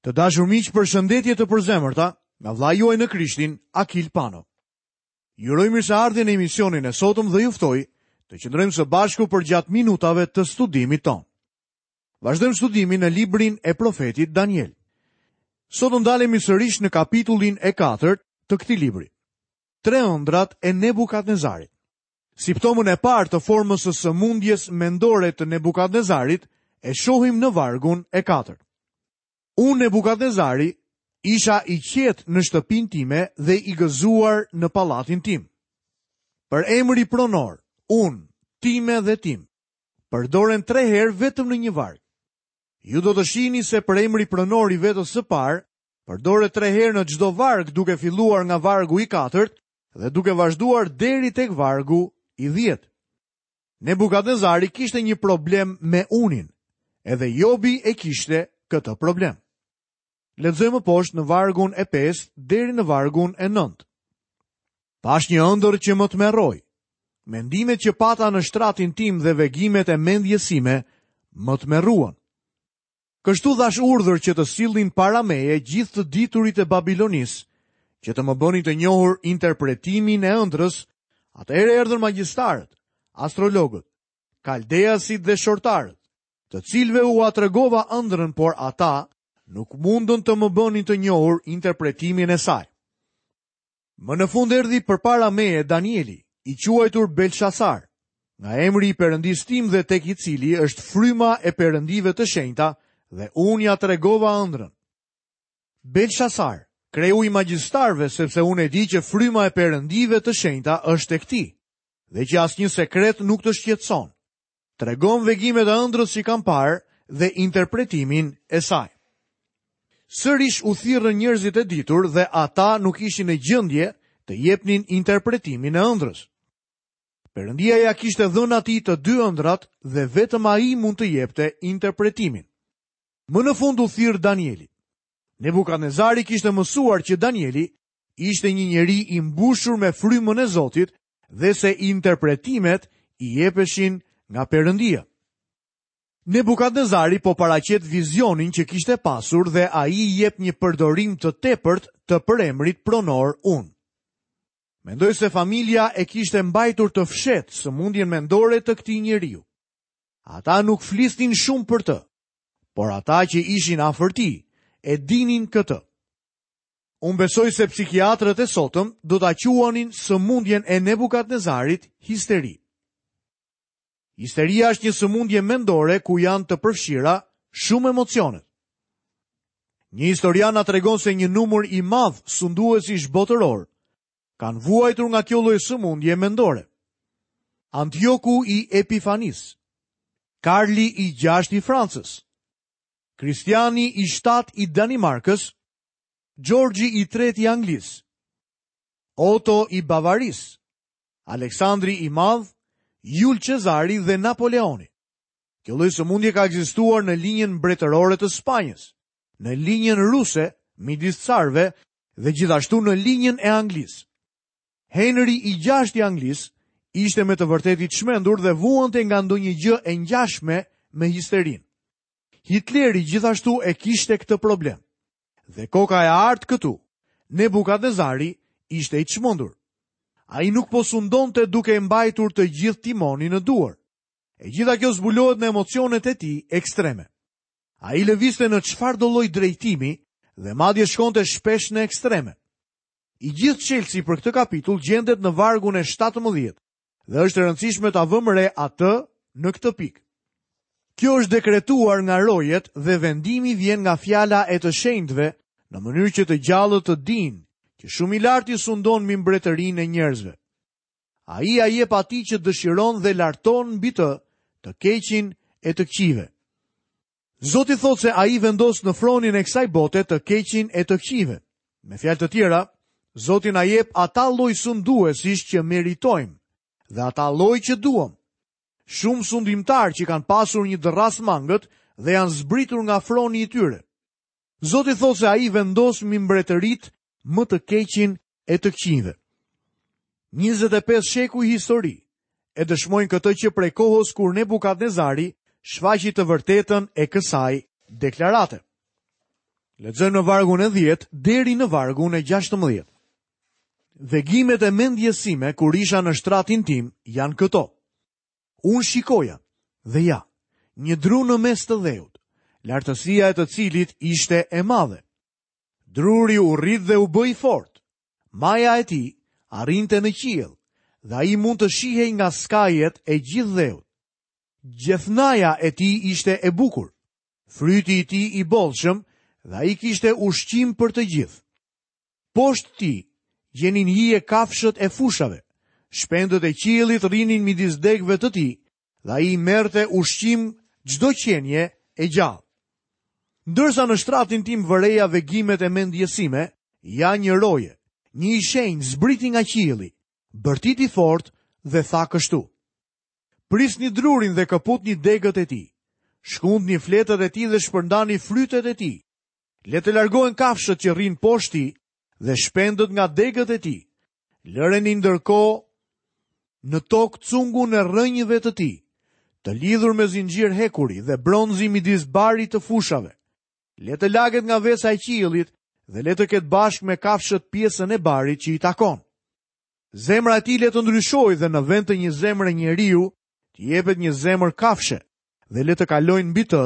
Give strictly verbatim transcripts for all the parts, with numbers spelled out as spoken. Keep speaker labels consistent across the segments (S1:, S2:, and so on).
S1: Të dashur miq, përshëndetje të përzemërta nga vëllai juaj në Krishtin, Akil Pano. Ju uroj mirëseardhjen në emisionin e sotëm dhe ju ftoj të qëndrojmë së bashku përgjatë minutave të studimit tonë. Vazhdojmë studimin në librin e profetit Daniel. Sot do ndalemi sërish në kapitullin e katërt të këtij libri. Tre ëndrat e Nebukadnezarit. Simptomën e parë të formës së sëmundjes mendore të Nebukadnezarit e shohim në vargun e katërt. Unë Nebukadnezari isha i qetë në shtëpinë time dhe i gëzuar në pallatin tim. Përemri pronor, unë, time dhe tim, përdoren tre herë vetëm në një varg. Ju do të shihni se përemri pronor i vetës së parë përdoret tre herë në çdo varg, duke filluar nga vargu i katërt dhe duke vazhduar deri tek vargu i dhjetë. Nebukadnezari kishte një problem me unin, edhe Jobi e kishte këtë problem. Lexojmë poshtë në vargun e pestë deri në vargun e nëntë. Pash një ëndër që më tmerroi. Mendimet që pata në shtratin tim dhe vegimet e mendjes sime më tmerruan. Kështu dhash urdhër që të sillnin para meje gjithë të diturit e Babilonisë, që të më bënin të njohur interpretimin e ëndrës. Atëherë erdhën magjistarët, astrologët, kaldeasit dhe shortarët, të cilëve ua tregova ëndrrën, por ata nuk mundën të më bënin të njohur interpretimin e saj. Më në fund erdhi përpara meje Danieli, i quajtur Belshazar, nga emri i Perëndisë tim dhe tek i cili është fryma e perëndive të shenjta, dhe unë ja tregova ëndrrën. Belshazar, kreu i magjistarëve, sepse unë e di që fryma e perëndive të shenjta është tek ti, dhe që asnjë sekret nuk të shqetëson. Tregon vegimet e ëndrrës që kam parë dhe interpretimin e saj. Sërish u thirrën njerëzit e ditur dhe ata nuk ishin në gjendje të jepnin interpretimin e ëndrrës. Perëndia ja kishte dhënë atij të dy ëndrrat dhe vetëm ai mund të jepte interpretimin. Më në fund u thirr Danieli. Nebukadnezari kishte mësuar që Danieli ishte një njeri i mbushur me frymën e Zotit dhe se interpretimet i jepeshin nga Perëndia. Nebukadnezari po paraqet vizionin që kishte pasur dhe ai i jep një përdorim të tepërt të përemrit pronor unë. Mendoj se familja e kishte mbajtur të fshehtë sëmundjen mendore të këtij njeriu. Ata nuk flisnin shumë për të, por ata që ishin afër tij e dinin këtë. Unë besoj se psikiatrët e sotëm do ta quanin sëmundjen e Nebukadnezarit histeri. Histeria është një sëmundje mendore ku janë të përfshira shumë emocionet. Një historian na tregon se një numër i madh sunduesish botëror kanë vuajtur nga kjo lloj sëmundje mendore. Antioku i Epifanisë, Karli i gjashtë i Francës, Kristiani i shtatë i Danimarkës, Gjorgji i tretë i Anglisë, Otto i Bavarisë, Aleksandri i Madh, Jul Cezari dhe Napoleoni. Kjo lloj sëmundje ka ekzistuar në linjën mbretërore të Spanjës, në linjën ruse midis carëve dhe gjithashtu në linjën e Anglisë. Henry i gjashtë i Anglisë ishte me të vërtetë i çmendur dhe vuante nga ndonjë gjë e ngjashme me histerinë. Hitleri gjithashtu e kishte këtë problem. Dhe koka e artë këtu, Nebukadnezari ishte i çmendur. Ai nuk po sundonte duke e mbajtur të gjithë timonin në duar. E gjitha kjo zbulohet në emocionet e tij ekstreme. Ai lëvizte në çfarëdo lloj drejtimi dhe madje shkonte shpesh në ekstreme. I gjithë çelësi për këtë kapitull gjendet në vargun e shtatëmbëdhjetë dhe është e rëndësishme ta vëmë re atë në këtë pikë. Kjo është dekretuar nga rojet dhe vendimi vjen nga fjala e të shenjtëve në mënyrë që të gjallët të dinë që shumë i larti sundon mbi mbretërinë e njerëzve. Ai ia jep atij që dëshiron dhe larton mbi të të keqin e të këqijve. Zoti thotë se ai vendos në fronin e kësaj bote të keqin e të këqijve. Me fjalë të tjera, Zoti na jep ata lloj sunduesish që meritojmë dhe ata lloj që duam. Shumë sundimtar që kanë pasur një dërras mangët dhe janë zbritur nga froni i tyre. Zoti thotë se ai vendos mbi mbretërit më të keqin e të këqijve. njëzet e pesë shekuj histori e dëshmojnë këtë që prej kohës kur Nebukadnezari shfaqi të vërtetën e kësaj deklarate. Lexojmë në vargun e dhjetë deri në vargun e gjashtëmbëdhjetë. Vegimet e mendjes sime kur isha në shtratin tim janë këto. Unë shikoja dhe ja, një dru në mes të dheut, lartësia e të cilit ishte e madhe. Druri u rrit dhe u bë i fortë. Maja e tij arrinte në qiell dhe ai mund të shihej nga skajet e gjithë dheut. Gjethnaja e tij ishte e bukur, fryti i tij i bollshëm dhe ai kishte ushqim për të gjithë. Poshtë tij gjenin hije kafshët e fushave, shpendët e qiellit rrinin midis degëve të tij dhe ai merrte ushqim çdo qenie e gjallë. Ndërsa në shtratin tim vëreja vegimet e mendjes sime, ja një roje, një i shenjtë zbriti nga qielli, bërtiti fort dhe tha kështu: Prisni drurin dhe këputni degët e tij, shkundni fletët e tij dhe shpërndani frytet e tij. Le të largohen kafshët që rrinë poshtë tij dhe shpendët nga degët e tij. Lëreni ndërkohë në tokë cungun e rrënjëve të tij, të lidhur me zinxhir hekuri dhe bronzi midis barit të fushave. Le të laget nga vesa e qiellit dhe le të ketë bashkë me kafshët pjesën e barit që i takon. Zemra e tij le të ndryshojë dhe në vend të një zemre njeriu, t'i jepet një zemër kafshe dhe le të kalojnë mbi të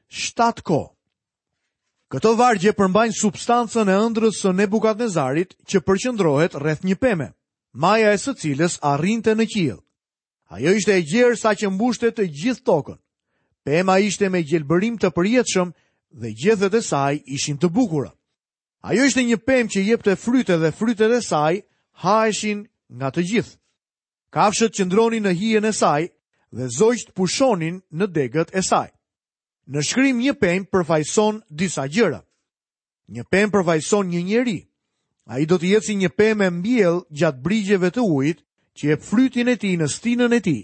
S1: shtatë kohë. Këto vargje përmbajnë substancën e ëndrrës së Nebukadnezarit që përqendrohet rreth një peme, maja e së cilës arrinte në qiell. Ajo ishte e gjerë sa që mbushte të gjithë tokën. Pema ishte me gjelbërim të përjetshëm dhe gjethet e saj ishin të bukura. Ajo ishte një pemë që jepte fryte dhe frytet e saj haheshin nga të gjithë. Kafshët qëndronin në hijen e saj dhe zogjtë pushonin në degët e saj. Në shkrim një pemë përfaqëson disa gjëra. Një pemë përfaqëson një njeri. Ai do të jetë si një pemë e mbjell gjatë brigjeve të ujit, që jep frytin e tij në stinën e tij,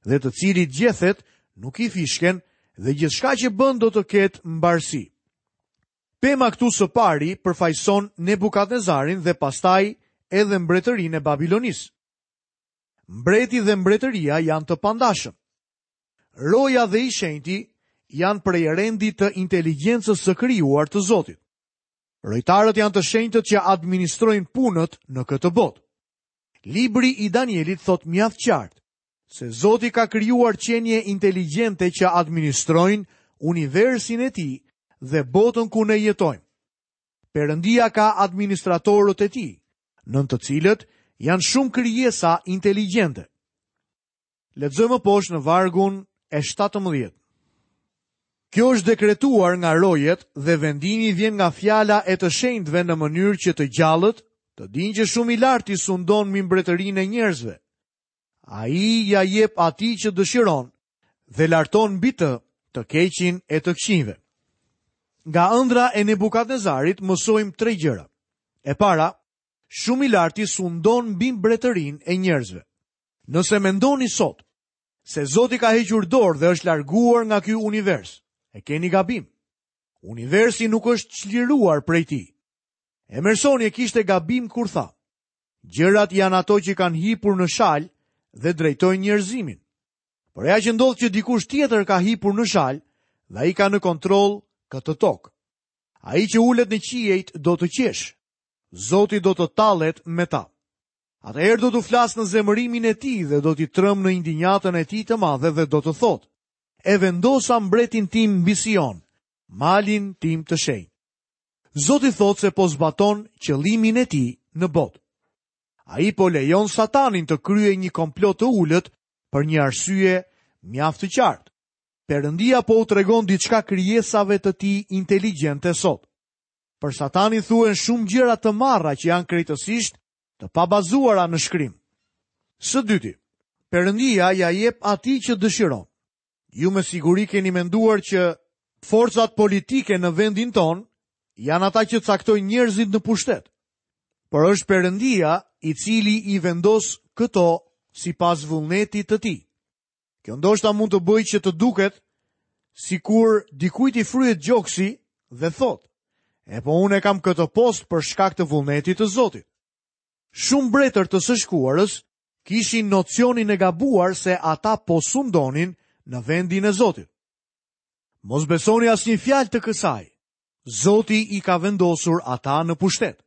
S1: dhe të cilit gjethet nuk i fishken dhe gjithçka që bën do të ketë mbarësi. Pema këtu së pari përfaqëson Nebukadnezarin dhe pastaj edhe mbretërinë e Babilonisë. Mbreti dhe mbretëria janë të pandashëm. Roja dhe i shenjti janë prej rendit të inteligjencës së krijuar të Zotit. Rojtarët janë të shenjtët që administrojnë punët në këtë botë. Libri i Danielit thot mjaft qartë se Zoti ka krijuar qenie inteligjente që administrojnë universin e tij dhe botën ku ne jetojmë. Perëndia ka administratorët e tij, nën të cilët janë shumë krijesa inteligjente. Lexojmë poshtë në vargun e shtatëmbëdhjetë. Kjo është dekretuar nga rojet dhe vendimi vjen nga fjala e të shenjtëve në mënyrë që të gjallët të dinë që shumë i larti sundon mbi mbretërinë e njerëzve. Ai ja jep atij që dëshiron dhe larton mbi të të keqin e të këqinjve. Nga ëndra e Nebukadnezarit mësojmë tre gjëra. E para, shumë i larti sundon mbi mbretërinë e njerëzve. Nëse mendoni sot se Zoti ka hequr dorë dhe është larguar nga ky univers, e keni gabim. Universi nuk është çliruar prej tij. Emersoni e kishte gabim kur tha: gjërat janë ato që kanë hipur në shal dhe drejtojnë njerëzimin. Por ja që ndodh që dikush tjetër ka hipur në shal dhe ai ka në kontroll këtë tokë. Ai që ulet në qiejt do të qesh. Zoti do të tallet me ta. Atëherë do t'u flas në zemërimin e tij dhe do t'i trëm në indinjatën e tij të madhe dhe do të thotë: e vendosa mbretin tim mbi Sion, malin tim të shenjtë. Zoti thotë se po zbaton qëllimin e tij në botë. Ai po lejon Satanin të kryejë një komplot të ulët për një arsye mjaft të qartë. Perëndia po u tregon diçka krijesave të tij inteligjente sot. Për Satanin thuhen shumë gjëra të marra që janë krejtësisht të pabazuara në shkrim. Së dyti, Perëndia ja jep atij që dëshiron. Ju me siguri keni menduar që forcat politike në vendin ton janë ata që caktojnë njerëzit në pushtet. Por është Perëndia i cili i vendos këto sipas vullnetit të tij. Kjo ndoshta mund të bëjë që të duket sikur dikujt i fryhet gjoksi dhe thotë: e po unë e kam këtë post për shkak të vullnetit të Zotit. Shumë mbretër të së shkuarës kishin nocionin e gabuar se ata po sundonin në vendin e Zotit. Mos besoni asnjë fjalë të kësaj. Zoti i ka vendosur ata në pushtet.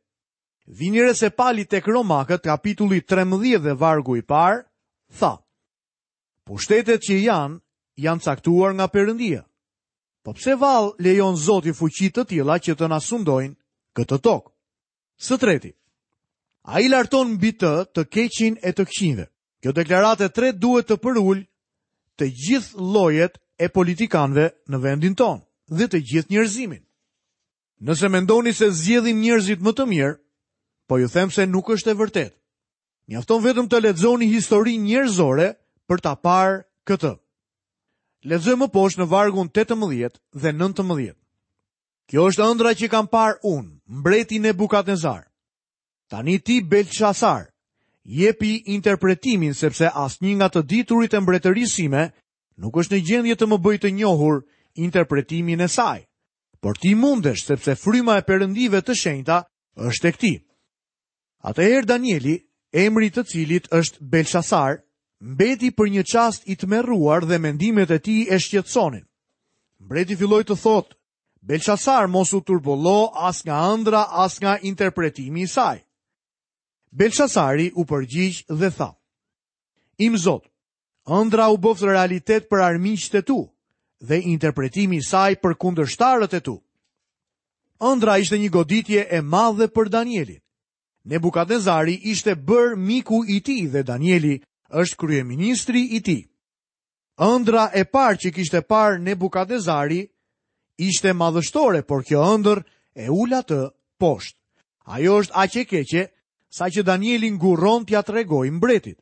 S1: Vini re se Pali tek Romakët, kapitulli trembëdhjetë dhe vargu i parë, tha: Pushtetet që janë, janë caktuar nga Perëndia. Po pse vallë lejon Zoti fuqi të tilla që të na sundojnë këtë tokë? Së treti, ai larton mbi të të keqin e të këqinjve. Kjo deklaratë e tretë duhet të përul të gjithë llojet e politikanëve në vendin tonë dhe të gjithë njerëzimin. Nëse mendoni se zgjedhim njerëzit më të mirë, po ju them se nuk është e vërtetë. Mjafton vetëm të lexoni historinë njerëzore për ta parë këtë. Lexojmë më poshtë në vargun tetëmbëdhjetë dhe nëntëmbëdhjetë. Kjo është ëndra që kam parë unë, mbreti Nebukadnezar. Tani ti, Belshazar, jepi interpretimin, sepse asnjë nga të diturit e mbretërisë sime nuk është në gjendje të më bëjë të njohur interpretimin e saj. Por ti mundesh, sepse fryma e perëndive të shenjta është tek ti. Atëherë Danieli, emri i të cilit është Belshazar, mbeti për një çast i tmerruar dhe mendimet e tij e shqetësonin. Mbreti filloi të thotë: Belshazar, mos u turbullo as nga ëndra, as nga interpretimi i saj. Belshazari u përgjigj dhe tha: Im Zot, ëndra u bëft realitet për armiqtë e tu dhe interpretimi i saj për kundërshtarët e tu. Ëndra ishte një goditje e madhe për Danielin. Nebukadnezari ishte bërë miku i tij dhe Danieli është kryeministri i tij. Ëndra e parë që kishte parë Nebukadnezari ishte madhështore, por kjo ëndër e ul atë poshtë. Ajo është aq e keqe sa që Danieli ngurron t'ia tregojë mbretit.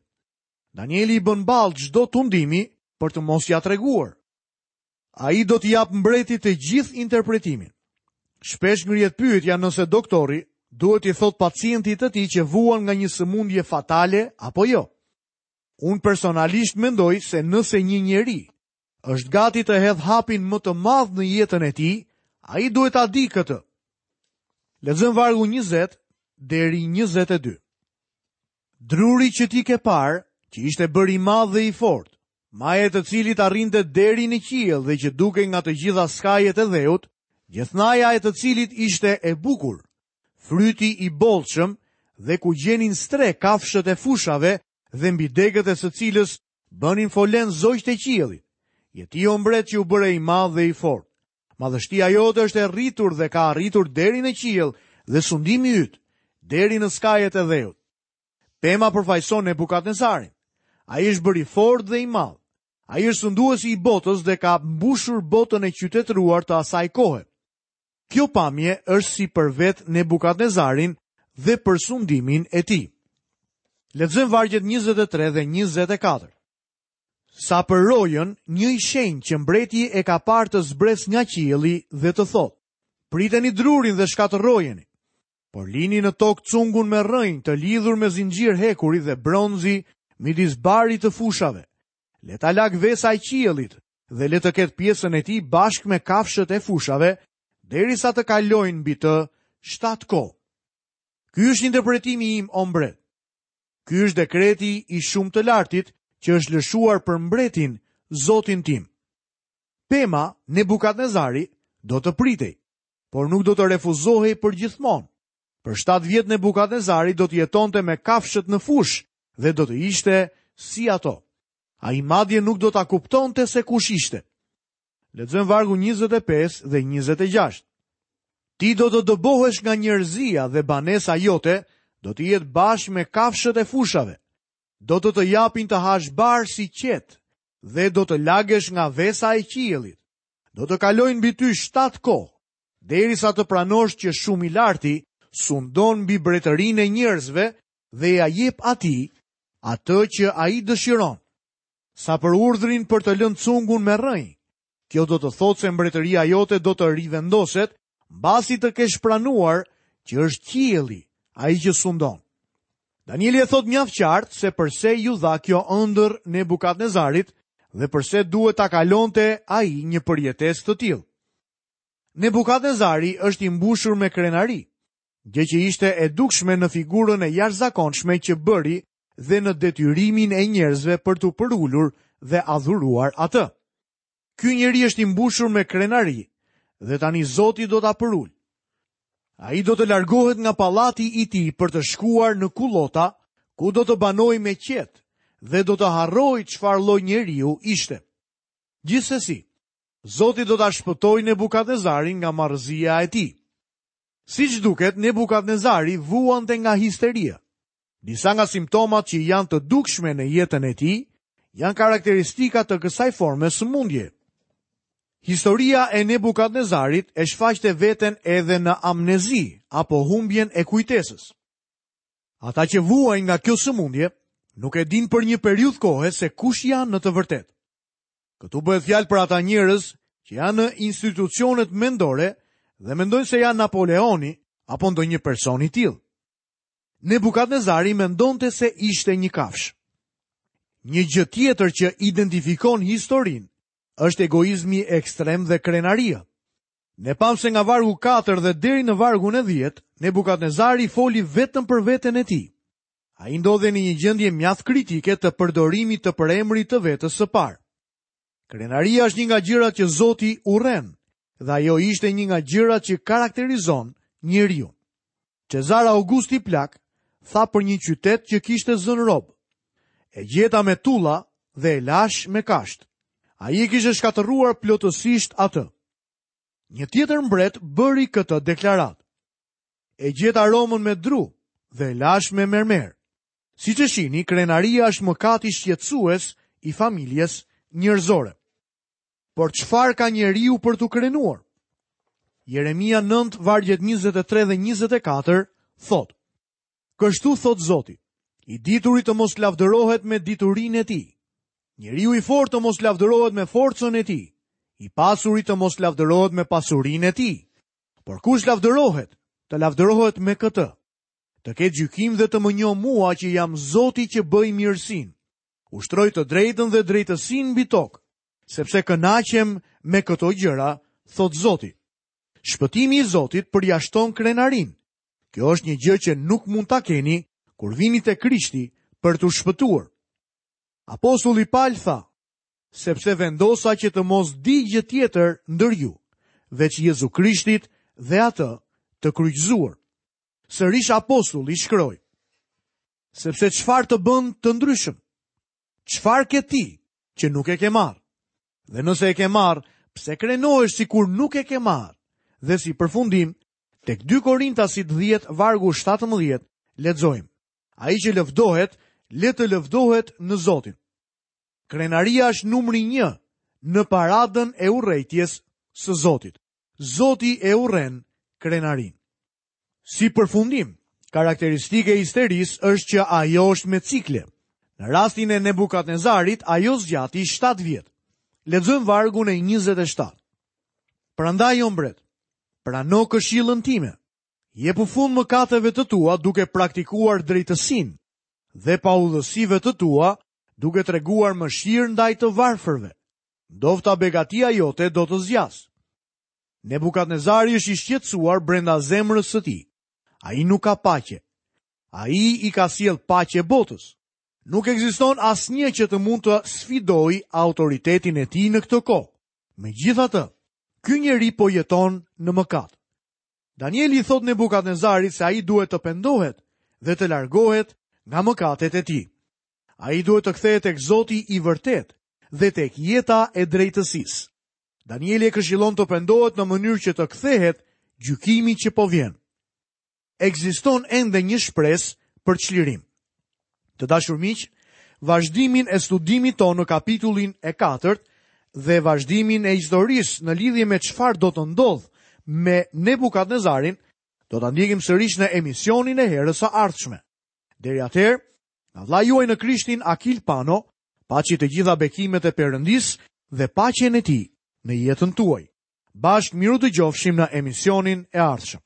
S1: Danieli i bën ballë çdo tundimi për të mos ia treguar. Ai do t'i jap mbretit të gjithë interpretimin. Shpesh ngrihet pyetja nëse doktori duhet t'i thot pacientit të tij që vuan nga një sëmundje fatale apo jo. Unë personalisht mendoj se nëse një njeri është gati të hedh hapin më të madh në jetën e tij, ai duhet ta di këtë. Lexojmë vargu njëzet deri njëzet e dy. Druri që ti ke parë, që ishte bërë i madh dhe i fortë, maja e të cilit arrinte deri në qiell dhe që dukej nga të gjitha skajet e dheut, gjithnaja e të cilit ishte e bukur, fryti i bollshëm dhe ku gjenin stre kafshët e fushave dhe mbi degët e së cilës bënin folen zogjtë e qiellit. Je ti, o mbret, që u bëre i madh dhe i fortë. Madhështia jote është e rritur dhe ka arritur deri në qiell dhe sundimi yt deri në skajet e dheut. Pema përfaqëson Nebukadnezarin. Ai është bërë i fortë dhe i madh. Ai është sunduesi i botës dhe ka mbushur botën e qytetëruar të asaj kohe. Kjo pamje është si për vetë Nebukadnezarin dhe për sundimin e tij. Lexojmë vargjet njëzet e tre dhe njëzet e katër. Sa për rojën, një i shenjtë që mbreti e ka parë të zbres nga qielli dhe të thotë: Priteni drurin dhe shkatërrojeni, por lini në tokë cungun me rrënjë të lidhur me zinxhir hekuri dhe bronzi midis barit të fushave. Le ta lag vesa e qiellit dhe le të ketë pjesën e tij bashkë me kafshët e fushave, derisa të kalojnë mbi të shtatë kohë. Ky është interpretimi im, o mbret. Ky është dekreti i shumë të lartit që është lëshuar për mbretin, zotin tim. Pema, Nebukadnezari, do të pritej, por nuk do të refuzohej për gjithmonë. Për shtatë vjet Nebukadnezari do të jetonte me kafshët në fushë dhe do të ishte si ato. Ai madje nuk do ta kuptonte se kush ishte. Lexojmë vargu njëzet e pesë dhe njëzet e gjashtë. Ti do të dëbohesh nga njerëzia dhe banesa jote do të jetë bashkë me kafshët e fushave. Do të të japin të hash bar si qetë dhe do të lagesh nga vesa e qiellit. Do të kalojnë mbi ty shtatë kohë, derisa të pranosh që shumë i larti sundon mbi mbretërinë e njerëzve dhe ja jep atij atë që ai dëshiron. Sa për urdhrin për të lënë cungun me rrënjë, kjo do të thotë se mbretëria jote do të rivendoset mbasi të kesh pranuar që është qielli ai që sundon. Danieli e thot mjaft qartë se përse ju dha kjo ëndër Nebukadnezarit dhe përse duhet ta kalonte ai një përjetesë të tillë. Nebukadnezari është i mbushur me krenari, gjë që ishte e dukshme në figurën e jashtëzakonshme që bëri dhe në detyrimin e njerëzve për t'u përulur dhe adhuruar atë. Ky njeri është i mbushur me krenari dhe tani Zoti do ta përul. Ai do të largohet nga pallati i tij për të shkuar në kullota, ku do të banojë me qetë dhe do të harrojë çfarë lloj njeriu ishte. Gjithsesi, Zoti do ta shpëtojë Nebukadnezarin nga marrëzia e tij. Siç duket, Nebukadnezari vuante nga histeria. Disa nga simptomat që janë të dukshme në jetën e tij janë karakteristika të kësaj forme sëmundje. Historia e Nebukadnezarit e shfaqte veten edhe në amnezi apo humbjen e kujtesës. Ata që vuajnë nga kjo sëmundje nuk e dinë për një periudhë kohe se kush janë në të vërtetë. Këtu bëhet fjalë për ata njerëz që janë në institucionet mendore dhe mendojnë se janë Napoleoni apo ndonjë person i tillë. Nebukadnezari mendonte se ishte një kafshë. Një gjë tjetër që identifikon historinë është egoizmi ekstrem dhe krenaria. Ne pamë se nga vargu katër dhe deri në vargun e dhjetë, Nebukadnezari foli vetëm për veten e tij. Ai ndodhej në një gjendje mjaft kritike të përdorimit të përemrit të vetes së parë. Krenaria është një nga gjërat që Zoti urren, dhe ajo ishte një nga gjërat që karakterizon njeriu. Cezar Augusti Plak tha për një qytet që kishte zënë rob: E gjeta me tulla dhe e lash me kasht. Ai e kishte shkatërruar plotësisht atë. Një tjetër mbret bëri këtë deklaratë: E gjeta Romën me dru dhe e lash me mermer. Siç e shihni, krenaria është mëkati shqetësues i familjes njerëzore. Por çfarë ka njeriu për t'u krenuar? Jeremia nëntë, vargjet njëzet e tre dhe njëzet e katër thotë: Kështu thotë Zoti, i dituri të mos lavdërohet me diturinë e tij, njeriu i fortë të mos lavdërohet me forcën e tij, i pasuri të mos lavdërohet me pasurinë e tij. Por kush lavdërohet, të lavdërohet me këtë, të ketë gjykim dhe të më njohë mua që jam Zoti që bëj mirësinë, ushtroj të drejtën dhe drejtësinë mbi tokë, sepse kënaqem me këto gjëra, thotë Zoti. Shpëtimi i Zotit përjashton krenarinë. Kjo është një gjë që nuk mund ta keni kur vini te Krishti për t'u shpëtuar. Apostulli Paul tha: sepse vendosa që të mos di gjë tjetër ndër ju, veç Jezu Krishtit dhe atë të kryqëzuar. Sërish apostulli shkroi: sepse çfarë të bën të ndryshëm? Çfarë ke ti që nuk e ke marrë? Dhe nëse e ke marrë, pse krenohesh sikur nuk e ke marrë? Dhe si përfundim, tek dy Korintasit dhjetë vargu shtatëmbëdhjetë lexojmë: Ai që lëvdohet, le të lëvdohet në Zotin. Krenaria është numri një në paradën e urrejtjes së Zotit. Zoti e urren krenarinë. Si përfundim, karakteristike e histerisë është që ajo është me cikle. Në rastin e Nebukadnezarit, ajo zgjati shtatë vjet. Lexojmë vargun e njëzet e shtatë. Prandaj, o mbret, prano këshillën time. Jepu fund mëkateve të tua duke praktikuar drejtësinë dhe paudhësive të tua duke treguar mëshirë ndaj të varfërve. Ndofta begatia jote do të zgjasë. Nebukadnezari është i shqetësuar brenda zemrës së tij. Ai nuk ka paqe. Ai i ka sjell paqe botës. Nuk ekziston asnjë që të mund të sfidojë autoritetin e tij në këtë kohë. Megjithatë, ky njeri po jeton në mëkat. Danieli i thot Nebukadnezarit se ai duhet të pendohet dhe të largohet nga mëkatet e tij. Ai duhet të kthehet tek Zoti i vërtet dhe tek jeta e drejtësisë. Danieli e këshillon të pendohet në mënyrë që të kthehet gjykimi që po vjen. Ekziston ende një shpresë për çlirim. Të dashur miq, vazhdimin e studimit tonë në kapitullin e katërt dhe vazhdimin e historisë në lidhje me çfarë do të ndodhë me Nebukadnezarin, do ta ndjekim sërish në emisionin e herës së ardhshme. Deri atëherë, nga vëllai juaj në Krishtin Akil Pano, paçi të gjitha bekimet e Perëndisë dhe paqen e tij në jetën tuaj. Bashkë miru dëgjofshim në emisionin e ardhshëm.